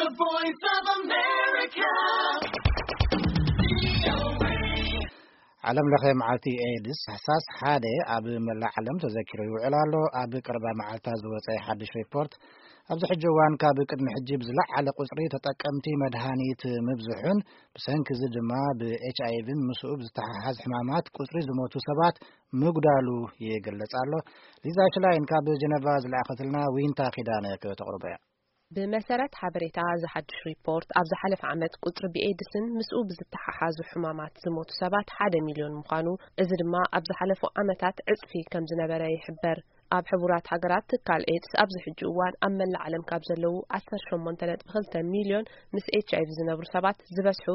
The Voice of America. ዓለም ለኸ መዓልቲ ኤድስ ታሕሳስ ሓደ ኣብ መላእ ዓለም ተዘኪሩ ይውዕል ኣሎ። ኣብ ቀረባ መዓልታት ዝወጸ ሓድሽ ሪፖርት፣ ኣብዚ ሕጂ እዋን ካብ ቅድሚ ሕጂ ብዝለዓለ ቁጽሪ ተጠቀምቲ መድሃኒት ምብዝሑን ብሰንኪ እዚ ድማ ብኤች ኣይ ቪን ምስኡ ብዝተሓሓዝ ሕማማት ቁጽሪ ዝሞቱ ሰባት ምጉዳሉ ይግለጽ ኣሎ። ሊዛ ሽላይን ካብ ጀነቫ ዝለኣኸትልና ዊንታ ኪዳነ ከተቕርቦ እያ። ብመሰረት ሓበሬታ እዚ ሓድሽ ሪፖርት፣ ኣብ ዝሓለፈ ዓመት ቁጽሪ ብኤድስን ምስኡ ብዝተሓሓዙ ሕማማት ዝሞቱ ሰባት ሓደ ሚልዮን ምዃኑ፣ እዚ ድማ ኣብ ዝሓለፉ ዓመታት ዕጽፊ ከም ዝነበረ ይሕበር። ኣብ ሕቡራት ሃገራት ትካል ኤድስ ኣብዚ ሕጂ እዋን ኣብ መላእ ዓለም ካብ ዘለዉ ዓሰርተ ሸሞንተ ነጥቢ ክልተ ሚልዮን ምስ ኤች ኣይ ቪ ዝነብሩ ሰባት ዝበዝሑ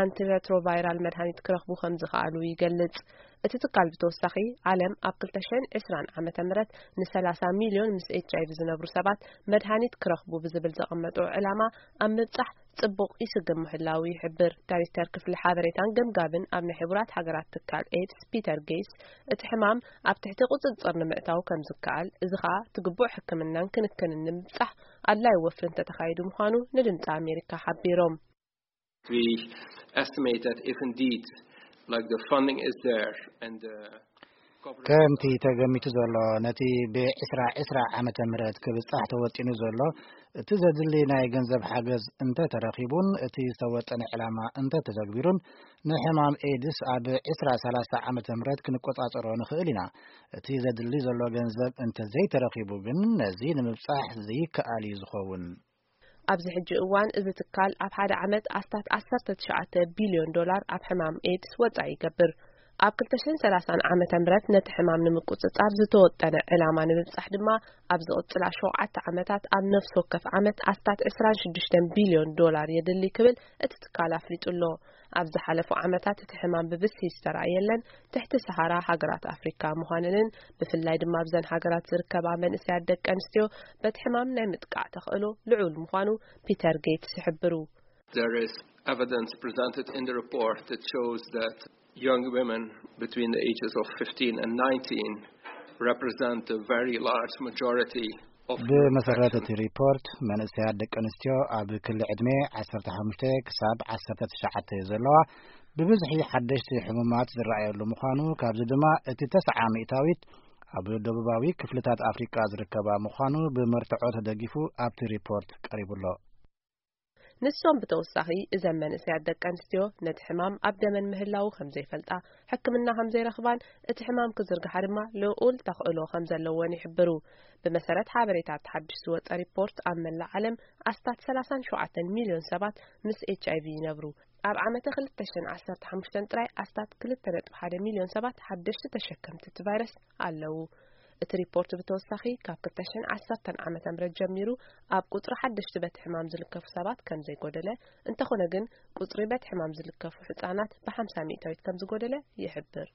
ኣንቲረትሮቫይራል መድሃኒት ክረኽቡ ከም ዝኸኣሉ ይገልጽ። እቲ ትካል ብተወሳኺ፣ ዓለም ኣብ ክልተ ሽሕን ዕስራን ዓመተ ምህረት ንሰላሳ ሚልዮን ምስ ኤች ኣይ ቪ ዝነብሩ ሰባት መድሃኒት ክረኽቡ ብዝብል ዘቐመጦ ዕላማ ኣብ ምብጻሕ ጽቡቕ ይስግም ምህላዉ ይሕብር። ዳይሬክተር ክፍሊ ሓበሬታን ገምጋምን ኣብ ናይ ሕቡራት ሃገራት ትካል ኤድስ ፒተር ጌይስ፣ እቲ ሕማም ኣብ ትሕቲ ቁጽጽር ንምእታው ከም ዝከኣል፣ እዚ ኸኣ እቲ ግቡእ ሕክምናን ክንክንን ንምብጻሕ ኣድላዪ ወፍሪ እንተተኻይዱ ምዃኑ ንድምጺ ኣሜሪካ ሓቢሮም። We estimate that if indeed, like, the funding is there and the coverage ከምቲ ተገሚቱ ዘሎ፣ ነቲ ብዕስራ ዕስራ ዓመተ ምህረት ክብጻሕ ተወጢኑ ዘሎ እቲ ዘድሊ ናይ ገንዘብ ሓገዝ እንተተረኺቡን እቲ ዝተወጠነ ዕላማ እንተተተግቢሩን፣ ንሕማም ኤድስ ኣብ ዕስራ ሰላሳ ዓመተ ምህረት ክንቆጻጸሮ ንኽእል ኢና። እቲ ዘድሊ ዘሎ ገንዘብ እንተዘይተረኺቡ ግን፣ ነዚ ንምብጻሕ ዘይከኣል እዩ ዝኸውን። ኣብዚ ሕጂ እዋን እዚ ትካል ኣብ ሓደ ዓመት ኣስታት ዓሰርተ ትሽዓተ ቢልዮን ዶላር ኣብ ሕማም ኤድስ ወጻኢ ይገብር። ኣብ ክልተ ሽሕን ሰላሳን ዓመተ ምህረት ነቲ ሕማም ንምቁጽጻር ዝተወጠነ ዕላማ ንምብጻሕ ድማ፣ ኣብ ዝቕጽላ ሸውዓተ ዓመታት ኣብ ነፍሲ ወከፍ ዓመት ኣስታት ዕስራን ሽዱሽተን ቢልዮን ዶላር የድሊ ክብል እቲ ትካል ኣፍሊጡ ኣሎ። ኣብ ዝሓለፉ ዓመታት እቲ ሕማም ብብዝሒ ዝተራእየለን ትሕቲ ሰሃራ ሃገራት ኣፍሪካ ምዃነንን፣ ብፍላይ ድማ ኣብዘን ሃገራት ዝርከባ መንእሰያት ደቂ ኣንስትዮ በቲ ሕማም ናይ ምጥቃዕ ተኽእሎ ልዑል ምዃኑ ፒተር ጌትስ ይሕብሩ። There is evidence presented in the report that shows that young women between the ages of fifteen and nineteen represent a very large majority of ብመሰረት እቲ ሪፖርት፣ መንእሰያት ደቂ ኣንስትዮ ኣብ ክሊ ዕድመ ዓሰርተ ሓሙሽተ ክሳብ ዓሰርተ ትሽዓተ ዘለዋ፣ ብብዝሒ ሓደሽቲ ሕሙማት ዝረኣየሉ ምዃኑ፣ ካብዚ ድማ እቲ ተስዓ ሚእታዊት ኣብ ደቡባዊ ክፍልታት ኣፍሪቃ ዝርከባ ምዃኑ ብመርትዖ ተደጊፉ ኣብቲ ሪፖርት ቀሪቡ ኣሎ። ንሶም ብተወሳኺ፣ እዘን መንእሰያት ደቂ ኣንስትዮ ነቲ ሕማም ኣብ ደመን ምህላዉ ከም ዘይፈልጣ፣ ሕክምና ከም ዘይረኽባን እቲ ሕማም ክዝርግሓ ድማ ልዑል ተኽእሎ ከም ዘለወን ይሕብሩ። ብመሰረት ሓበሬታ እቲ ሓድሽ ዝወጸ ሪፖርት፣ ኣብ መላእ ዓለም ኣስታት ሰላሳን ሸውዓተን ሚልዮን ሰባት ምስ ኤች ኣይ ቪ ይነብሩ። ኣብ ዓመተ ክልተ ሽሕን ዓሰርተ ሓሙሽተን ጥራይ ኣስታት ክልተ ነጥቢ ሓደ ሚልዮን ሰባት ሓደሽቲ ተሸከምቲ እቲ ቫይረስ ኣለዉ። እቲ ሪፖርት ብተወሳኺ፣ ካብ ክልተ ሽሕን ዓሰርተን ዓመተ ምህረት ጀሚሩ ኣብ ቁጽሪ ሓደሽቲ በቲ ሕማም ዝልከፉ ሰባት ከም ዘይጎደለ፣ እንተኾነ ግን ቁጽሪ በቲ ሕማም ዝልከፉ ህጻናት ብሓምሳ ሚእታዊት ከም ዝጎደለ ይሕብር።